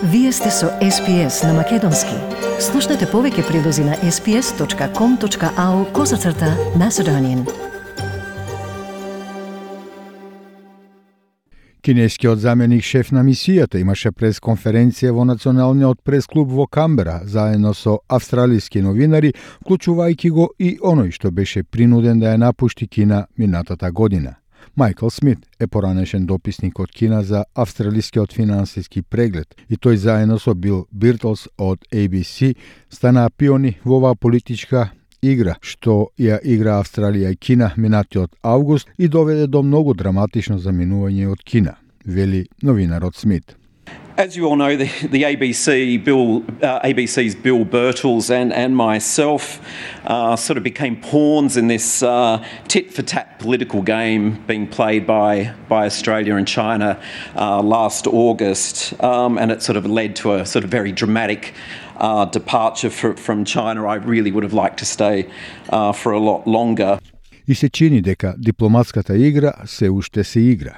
Вие сте со SPS на Македонски. Слушнете повеќе прилози на sps.com.au/Macedonian. Кинескиот заменик шеф на мисијата имаше пресконференција во Националниот пресклуб во Камбера, заедно со австралиски новинари, вклучувајќи го и оној што беше принуден да ја напушти Кина минатата година. Майкл Смит е поранешен дописник од Кина за австралискиот финансиски преглед и тој заедно со Бил Биртлс од ABC станаа пиони во оваа политичка игра што ја игра Австралија и Кина минатиот август и доведе до многу драматично заминување од Кина, вели новинарот Смит. As you all know, the ABC's Bill Birtles and myself sort of became pawns in this tit-for-tat political game being played by Australia and China last August, and it sort of led to a sort of very dramatic departure from China. I really would have liked to stay for a lot longer. И се чини дека дипломатската игра се уште се игра.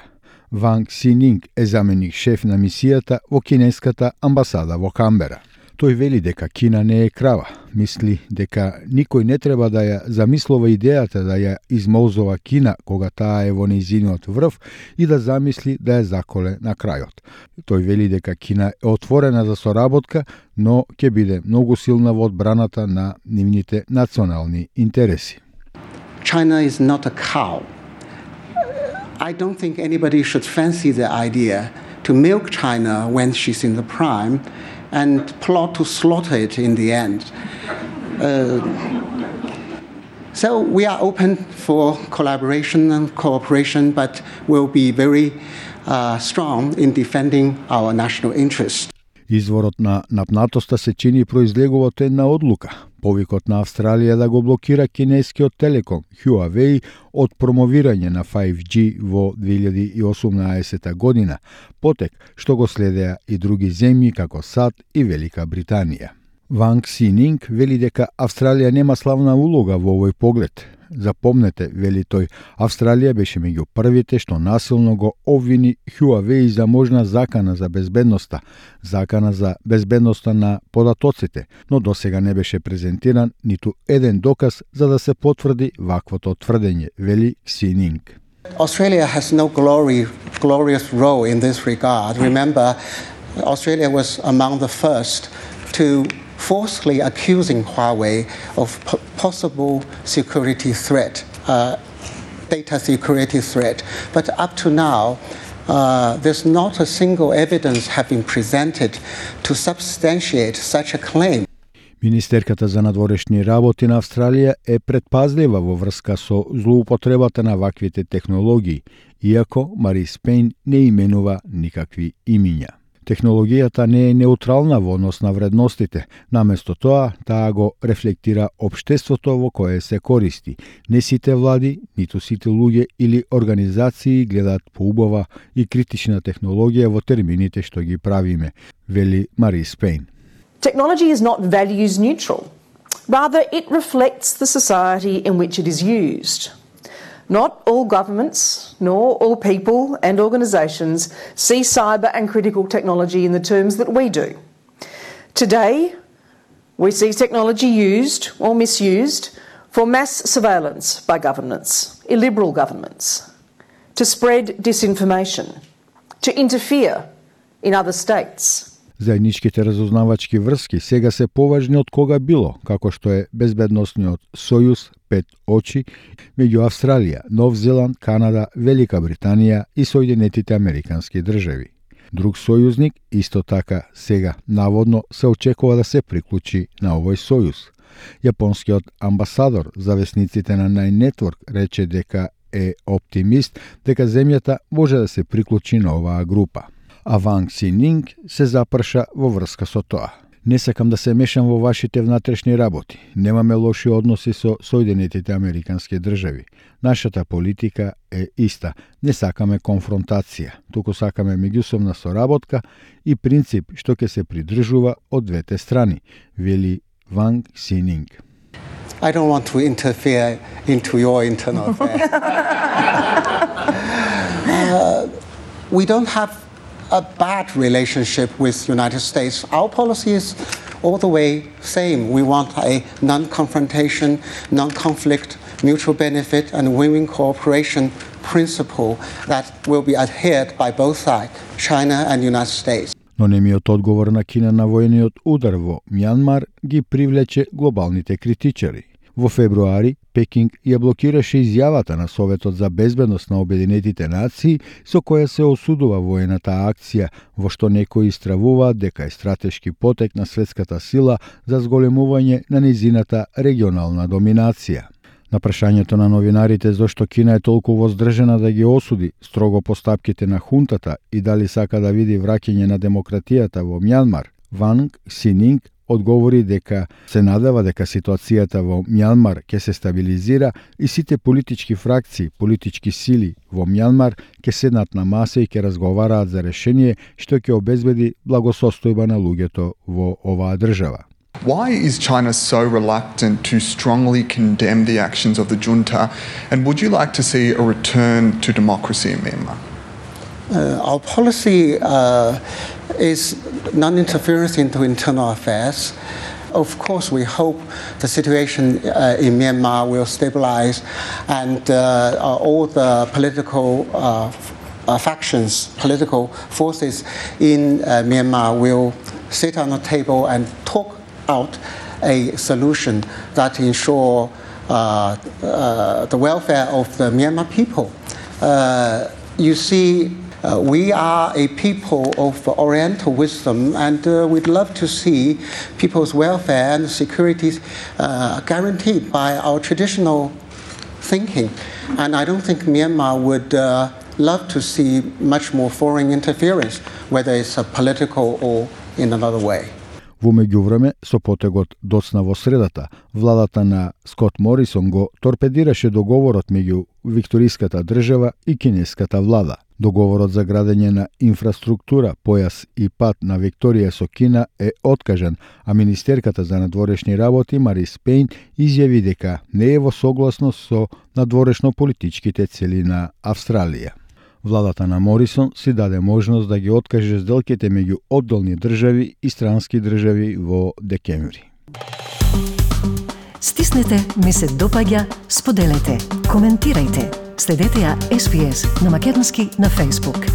Ванг Сининг е заменик шеф на мисијата во кинеската амбасада во Камбера. Тој вели дека Кина не е крава. Мисли дека никој не треба да ја замислува идејата да ја измолзува Кина кога таа е во нејзиниот врв и да замисли да ја заколе на крајот. Тој вели дека Кина е отворена за соработка, но ќе биде многу силна во одбраната на нивните национални интереси. China is not a cow. I don't think anybody should fancy the idea to milk China when she's in the prime and plot to slaughter it in the end. So we are open for collaboration and cooperation, but we'll be very strong in defending our national interest. Изворот на напнатоста се чини произлегува од една одлука. Повикот на Австралија да го блокира кинескиот телеком Huawei од промовирање на 5G во 2018 година, потек што го следеа и други земји како САД и Велика Британија. Ванг Сининг вели дека Австралија нема славна улога во овој поглед. Запомнете, вели тој, Австралија беше меѓу првите што насилно го обвини Huawei за можна закана за безбедноста, закана за безбедноста на податоците, но досега не беше презентиран ниту еден доказ за да се потврди ваквото тврдење, вели Сининг. Australia has no glorious role in this regard. Remember, Australia was among the first to falsely accusing Huawei of possible security threat, data security threat. But up to now, there's not a single evidence have been presented to substantiate such a claim. Министерката за надворешни работи на Австралија е предпазлива во врска со злоупотребата на ваквите технологии, иако Марис Пейн не именува никакви имиња. Технологијата не е неутрална во однос на вредностите, наместо тоа, таа го рефлектира општеството во кое се користи. Не сите влади, ниту сите луѓе или организации гледаат поубава и критична технологија во термините што ги правиме, вели Марис Пейн. Technology is not values neutral. Rather, it reflects the society in which it is used. Not all governments, nor all people and organisations see cyber and critical technology in the terms that we do. Today, we see technology used or misused for mass surveillance by governments, illiberal governments, to spread disinformation, to interfere in other states. Заедничките разузнавачки врски сега се поважни од кога било, како што е безбедносниот сојуз 5 очи меѓу Австралија, Нов Зеланд, Канада, Велика Британија и Соединетите Американски држави. Друг сојузник исто така сега наводно се очекува да се приклучи на овој сојуз. Јапонскиот амбасадор за весниците на Nine Network рече дека е оптимист дека земјата може да се приклучи на оваа група. А Ванг Сининг се запрша во врска со тоа. Не сакам да се мешам во вашите внатрешни работи. Немаме лоши односи со Соединетите Американски држави. Нашата политика е иста. Не сакаме конфронтација, туку сакаме меѓусобна соработка и принцип што ќе се придржува од двете страни, вели Ванг Сининг. I don't want to interfere into your internal affairs. We don't have a bad relationship with United States. Our policy is all the way same. We want a non-confrontation, non-conflict, mutual benefit and win-win cooperation principle that will be adhered by both sides, China and United States. Но немиот одговор на Кина на воениот удар во Мјанмар ги привлече глобалните критичари. Во февруари, Пекинг ја блокираше изјавата на Советот за безбедност на Обединетите нации со која се осудува воената акција, во што некои истравуваат дека е стратешки потек на светската сила за зголемување на низината регионална доминација. На прашањето на новинарите зошто Кина е толку воздржана да ги осуди строго постапките на хунтата и дали сака да види враќање на демократијата во Мјанмар, Ванг Сининг одговори дека се надева дека ситуацијата во Мјанмар ќе се стабилизира и сите политички фракции, политички сили во Мјанмар ќе седнат на маса и ќе разговараат за решение што ќе обезбеди благосостојба на луѓето во оваа држава. Why is China so reluctant to strongly condemn the actions of the junta, and would you like to see a return to democracy in Myanmar? Our policy is non-interference into internal affairs. Of course, we hope the situation in Myanmar will stabilize and all the political factions, political forces in Myanmar will sit on a table and talk out a solution that ensure the welfare of the Myanmar people. You see, we are a people of Oriental wisdom, and we'd love to see people's welfare and security guaranteed by our traditional thinking. And I don't think Myanmar would love to see much more foreign interference, whether it's political or in another way. Во меѓувреме, со потегот доцна во средата, владата на Скот Морисон го торпедираше договорот меѓу викториската држава и кинеската влада. Договорот за градење на инфраструктура, појас и пат на Викторија со Кина е откажан, а министерката за надворешни работи Марис Пейн изјави дека не е во согласност со надворешно-политичките цели на Австралија. Владата на Морисон си даде можност да ги откаже сделките меѓу одделни држави и странски држави во декември. Стиснете, ми се допаѓа, споделете, коментирајте. Следете ја SPS на Македонски на Facebook.